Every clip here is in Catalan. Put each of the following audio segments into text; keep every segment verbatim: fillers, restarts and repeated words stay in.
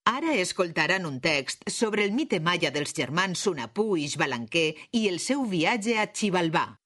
Ara escoltaran un text sobre el mite maia dels germans Hunahpu i Xbalanque i el seu viatge a Xibalbà.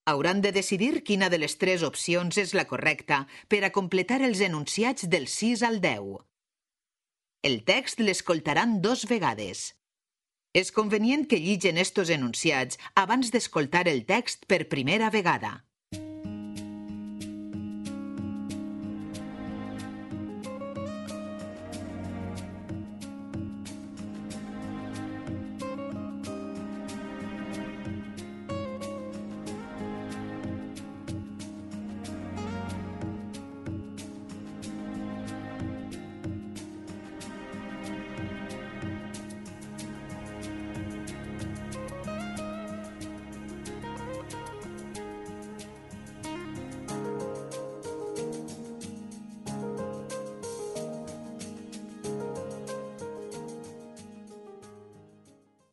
Hauran de decidir quina de les tres opcions és la correcta per a completar els enunciats del sis al deu. El text l'escoltaran dos vegades. És convenient que lligen estos enunciats abans d'escoltar el text per primera vegada.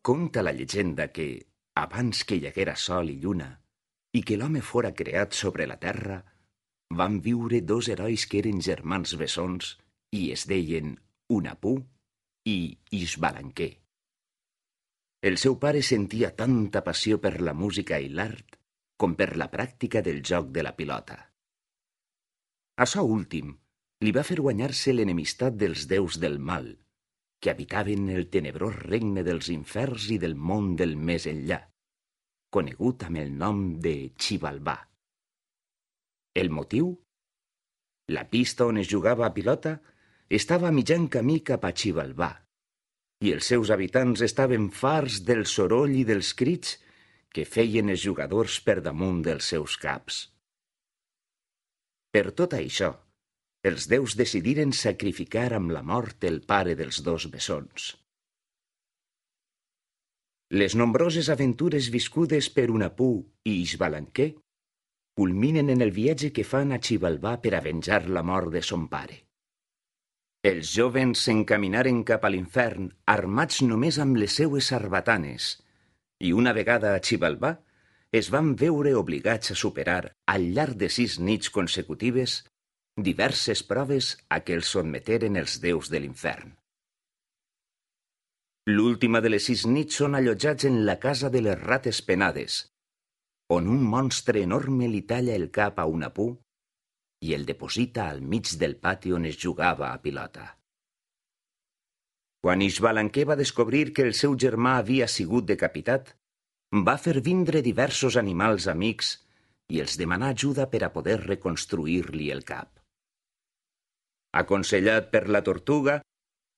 Conta la llegenda que, abans que hi haguera sol i lluna i que l'home fora creat sobre la terra, van viure dos herois que eren germans bessons i es deien Hunahpu i Xbalanque. El seu pare sentia tanta passió per la música i l'art com per la pràctica del joc de la pilota. Açò últim li va fer guanyar-se l'enemistat dels déus del mal, que habitaven el tenebrós regne dels inferns i del món del més enllà, conegut amb el nom de Xibalbà. El motiu? La pista on es jugava a pilota estava a mitjan camí cap a Xibalbà, i els seus habitants estaven farts del soroll i dels crits que feien els jugadors per damunt dels seus caps. Per tot això, els déus decidiren sacrificar amb la mort el pare dels dos bessons. Les nombroses aventures viscudes per Hunahpu i Xbalanque culminen en el viatge que fan a Xibalbà per a venjar la mort de son pare. Els jovens s'encaminaren cap a l'infern armats només amb les seues sarbatanes i una vegada a Xibalbà es van veure obligats a superar al llarg de sis nits consecutives diverses proves a què els sotmeteren els déus de l'infern. L'última de les sis nits són allotjats en la casa de les rates penades, on un monstre enorme li talla el cap a Hunahpu i el deposita al mig del pati on es jugava a pilota. Quan Xbalanque va descobrir que el seu germà havia sigut decapitat, va fer vindre diversos animals amics i els demanà ajuda per a poder reconstruir-li el cap. Aconsellat per la tortuga,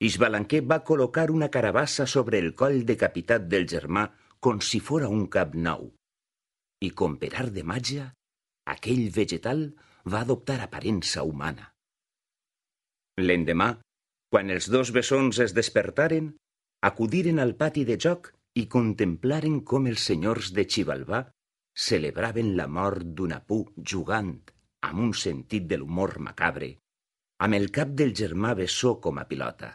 Xbalanque va col·locar una carabassa sobre el coll decapitat del germà com si fora un cap nou. I com per art de màgia, aquell vegetal va adoptar aparença humana. L'endemà, quan els dos bessons es despertaren, acudiren al pati de joc i contemplaren com els senyors de Xibalbà celebraven la mort d'Hunahpu jugant, amb un sentit de l'humor macabre, amb el cap del germà bessó com a pilota.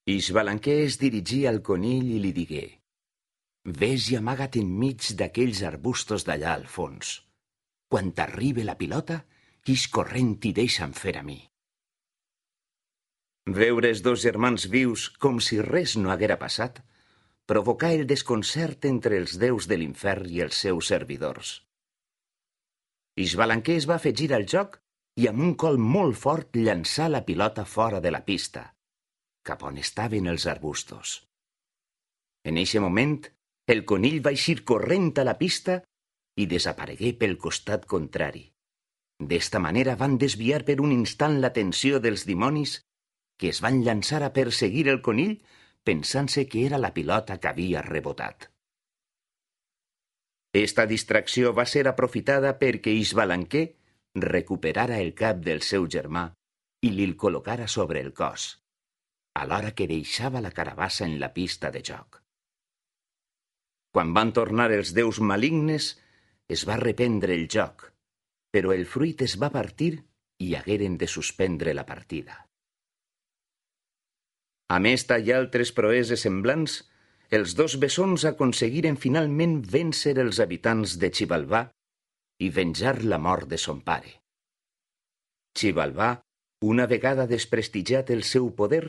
Xbalanque es dirigia al conill i li digué: «Ves i amaga't enmig d'aquells arbustos d'allà al fons. Quan t'arribe la pilota, ix corrent i deixa'm fer a mi». Veure els dos germans vius com si res no haguera passat provocà el desconcert entre els déus de l'infern i els seus servidors. Xbalanque es va afegir al joc i amb un col molt fort llançà la pilota fora de la pista, cap on estaven els arbustos. En eixe moment, el conill va eixir corrent a la pista i desaparegué pel costat contrari. D'esta manera van desviar per un instant l'atenció dels dimonis que es van llançar a perseguir el conill pensant-se que era la pilota que havia rebotat. Esta distracció va ser aprofitada perquè Xbalanque recuperara el cap del seu germà i li'l col·locara sobre el cos, alhora que deixava la carabassa en la pista de joc. Quan van tornar els déus malignes, es va reprendre el joc, però el fruit es va partir i hagueren de suspendre la partida. Amb esta i altres proeses semblants, els dos bessons aconseguiren finalment vèncer els habitants de Xibalbà i venjar la mort de son pare. Xibalbà Una vegada desprestigiat el seu poder,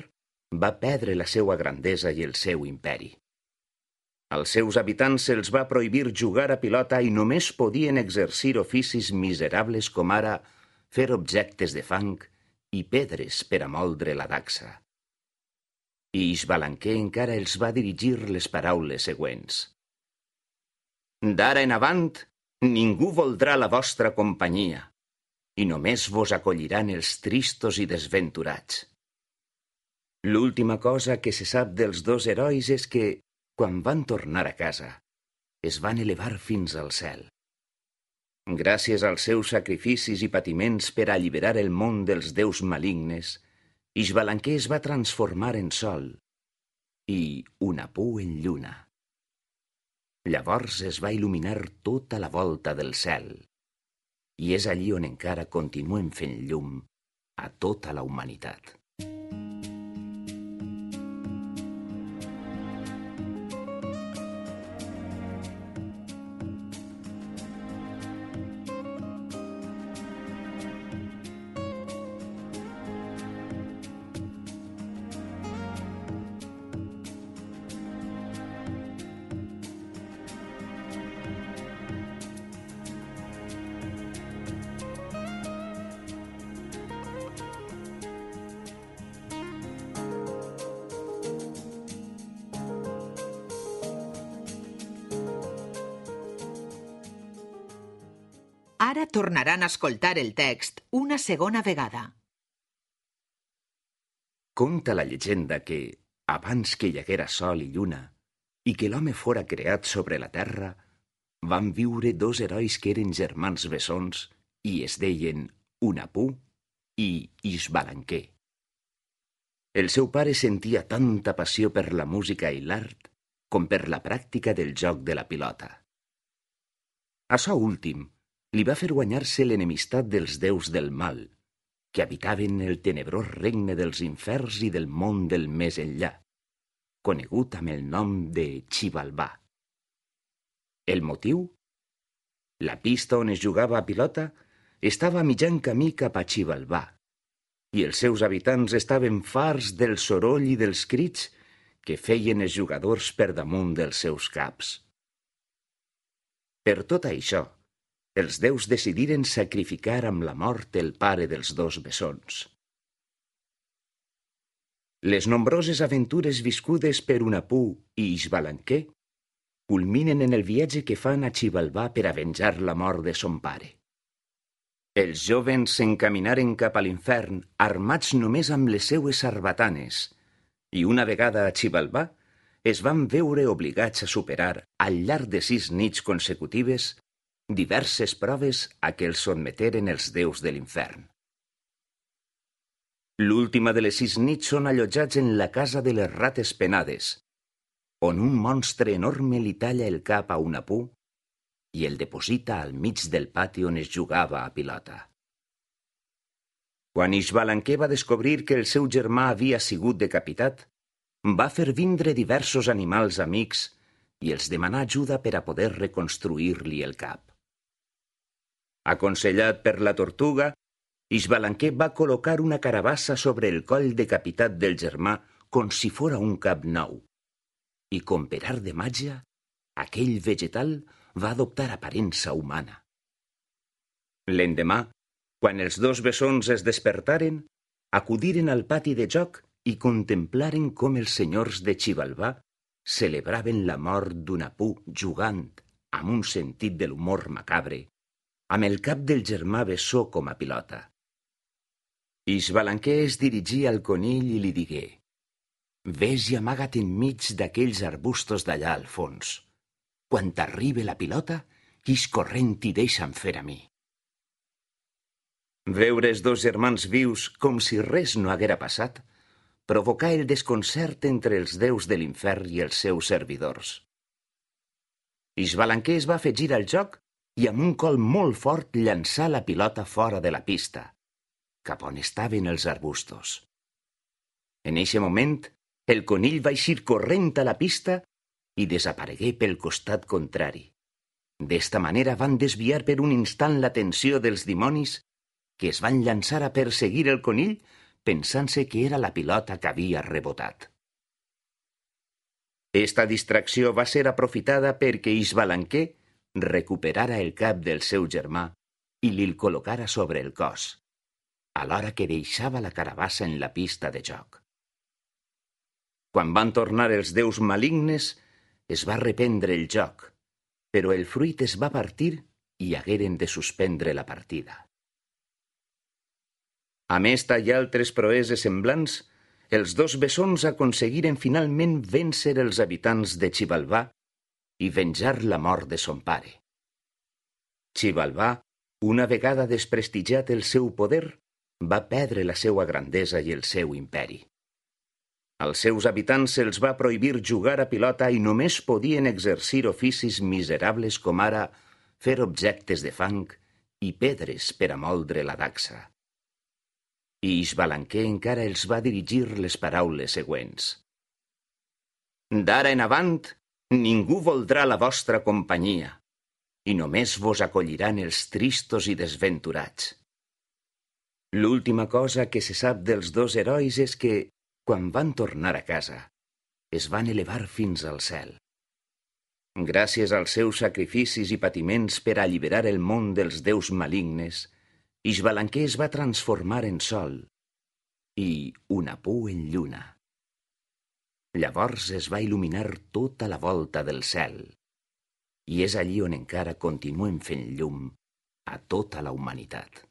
va perdre la seva grandesa i el seu imperi. Als seus habitants se'ls va prohibir jugar a pilota i només podien exercir oficis miserables com ara fer objectes de fang i pedres per a moldre la dacsa. I Ixbalanquer encara els va dirigir les paraules següents. D'ara en avant, ningú voldrà la vostra companyia i només vos acolliran els tristos i desventurats. L'última cosa que se sap dels dos herois és que, quan van tornar a casa, es van elevar fins al cel. Gràcies als seus sacrificis i patiments per alliberar el món dels déus malignes, Ixbalanquer es va transformar en sol i Hunahpu en lluna. Llavors es va il·luminar tota la volta del cel i és allí on encara continuem fent llum a tota la humanitat. Ara tornaran a escoltar el text una segona vegada. Conta la llegenda que, abans que hi haguera sol i lluna i que l'home fora creat sobre la terra, van viure dos herois que eren germans bessons i es deien Hunahpu i Ixbalanquer. El seu pare sentia tanta passió per la música i l'art com per la pràctica del joc de la pilota. Açò últim li va fer guanyar-se l'enemistat dels déus del mal, que habitaven el tenebrós regne dels inferns i del món del més enllà, conegut amb el nom de Xibalbà. El motiu? La pista on es jugava a pilota estava a mitjan camí cap a Xibalbà, i els seus habitants estaven farts del soroll i dels crits que feien els jugadors per damunt dels seus caps. Per tot això, els déus decidiren sacrificar amb la mort el pare dels dos bessons. Les nombroses aventures viscudes per Hunahpu i Ixbalanquer culminen en el viatge que fan a Xibalbà per a venjar la mort de son pare. Els jovens s'encaminaren cap a l'infern armats només amb les seues sarbatanes i una vegada a Xibalbà es van veure obligats a superar al llarg de sis nits consecutives diverses proves a què els sotmeteren els déus de l'infern. L'última de les sis nits són allotjats en la casa de les rates penades, on un monstre enorme li talla el cap a Hunahpu i el deposita al mig del pati on es jugava a pilota. Quan Ixbalanquer va descobrir que el seu germà havia sigut decapitat, va fer vindre diversos animals amics i els demanà ajuda per a poder reconstruir-li el cap. Aconsellat per la tortuga, Ixbalanquer va col·locar una carabassa sobre el coll decapitat del germà com si fora un cap nou. I com per art de màgia, aquell vegetal va adoptar aparença humana. L'endemà, quan els dos bessons es despertaren, acudiren al pati de joc i contemplaren com els senyors de Xibalbà celebraven la mort d'Hunahpu jugant, amb un sentit de l'humor macabre, amb el cap del germà bessó com a pilota. Ixbalanquer es dirigia al conill i li digué: «Ves i amaga't enmig d'aquells arbustos d'allà al fons. Quan t'arribe la pilota, quix corrent i deixa'm fer a mi». Veure els dos germans vius com si res no haguera passat provocà el desconcert entre els déus de l'infern i els seus servidors. Ixbalanquer es va afegir al joc i amb un col molt fort llançà la pilota fora de la pista, cap on estaven els arbustos. En eixe moment, el conill va eixir corrent a la pista i desaparegué pel costat contrari. D'esta manera van desviar per un instant l'atenció dels dimonis que es van llançar a perseguir el conill pensant-se que era la pilota que havia rebotat. Esta distracció va ser aprofitada perquè Isbalanquer recuperara el cap del seu germà i li'l col·locara sobre el cos, alhora que deixava la carabassa en la pista de joc. Quan van tornar els déus malignes, es va reprendre el joc, però el fruit es va partir i hagueren de suspendre la partida. A més i altres proeses semblants, els dos bessons aconseguiren finalment vèncer els habitants de Xibalbà i venjar la mort de son pare. Xibalbà, una vegada desprestigiat el seu poder, va perdre la seva grandesa i el seu imperi. Als seus habitants se'ls va prohibir jugar a pilota i només podien exercir oficis miserables com ara fer objectes de fang i pedres per a moldre la dacsa. I Isbalanquer encara els va dirigir les paraules següents. D'ara en avant, ningú voldrà la vostra companyia, i només vos acolliran els tristos i desventurats. L'última cosa que se sap dels dos herois és que, quan van tornar a casa, es van elevar fins al cel. Gràcies als seus sacrificis i patiments per alliberar el món dels déus malignes, Isbalanquer es va transformar en sol i Hunahpu en lluna. Llavors es va il·luminar tota la volta del cel i és allí on encara continuem fent llum a tota la humanitat.